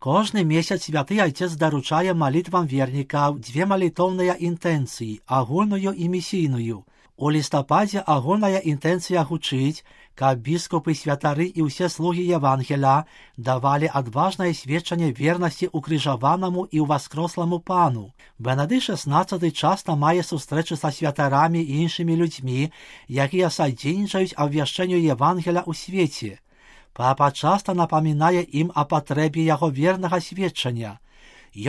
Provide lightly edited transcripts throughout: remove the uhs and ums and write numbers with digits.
Кожны месяц святы Айцец даручае малітвам вернікаў дзве малітоўныя інтэнцыі, агульную і місійную. У лістападзе агульная інтэнцыя гучыць, каб біскупы, святары і ўсе слугі Евангеля давалі адважнае сведчанне вернасці укрыжаванаму і ўваскросламу Пану. Бенедыкт XVI часта мае сустрэчы са святарамі і іншымі людзьмі, якія садзейнічаюць абвяшчэнню Евангеля ў свеце. Папа часта напамінае ім о патрэбе яго вернага сведчання.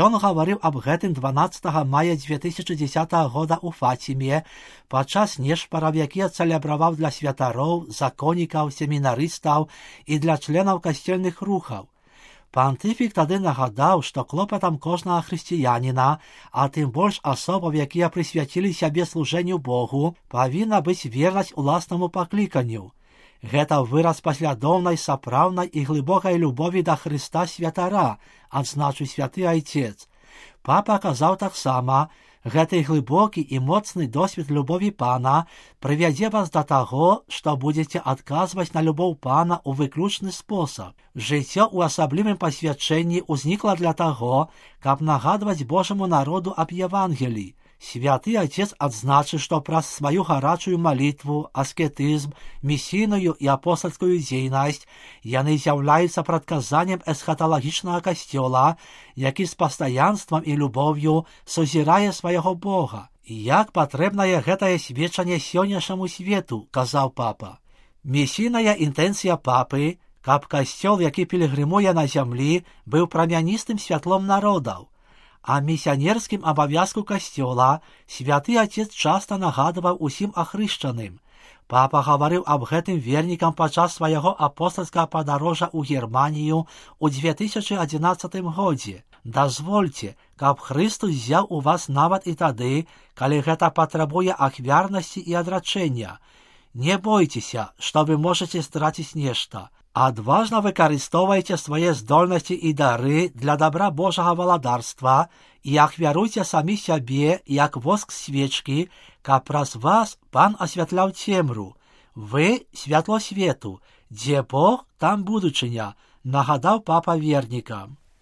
Ён гаварыў аб гэтым 12 мая 2010 года ў Фаціме падчас нешпараў, якія цэлебраваў для святароў, законнікаў, семінарыстаў і для членаў касцельных рухаў. Пантыфік тады нагадаў, што клопатам кожнага хрысціяніна, а тым больш асобаў, якія прысвяцілі сябе служэнню Богу, павінна быць вернасць уласнаму пакліканню. Гэта выраз паслядоўнай, сапраўднай і глыбокай любові да Хрыста святара, адзначыў святы Айцец. Папа казаў таксама, гэты глыбокі і моцны досвед любові Пана прывядзе вас да таго, што будзеце адказваць на любоў Пана ў выключны спосаб. Жыццё ў асаблівым пасвячэнні ўзнікла для таго, каб нагадваць Божаму народу аб Евангеліі. Святы Айцец адзначыў, што праз сваю гарачую малітву, аскетызм, місійную і апостальскую дзейнасць яны з'яўляюцца прадказаннем эсхаталагічнага касцёла, які з пастаянствам і любоўю сузірае свайго Бога. Як патрэбнае гэтае сведчанне сённяшняму свету, казаў папа. Місійная інтэнцыя папы, каб касцёл, які пілігрымуе на зямлі, быў прамяністым святлом народаў. А місіянерскім абавязку касцёла святы Айцец часта нагадваў усім ахрышчаным. Папа гаварыў аб гэтым вернікам падчас свайго апостальскага падарожжа ў Германію ў 2011 годзе. Дазвольце, каб Хрыстус взяў у вас нават і тады, калі гэта патрабуе ахвярнасці і адрачэння. Не бойцеся, што вы можаце страціць нешта. Адважна выкарыстоўвайце свае здольнасці і дары для добра Божага валадарства і ахвяруйце самі сябе, як воск свечкі, каб праз вас Пан асвятляў цемру. Вы — святло свету, дзе Бог, там будучыня, нагадаў папа вернікам.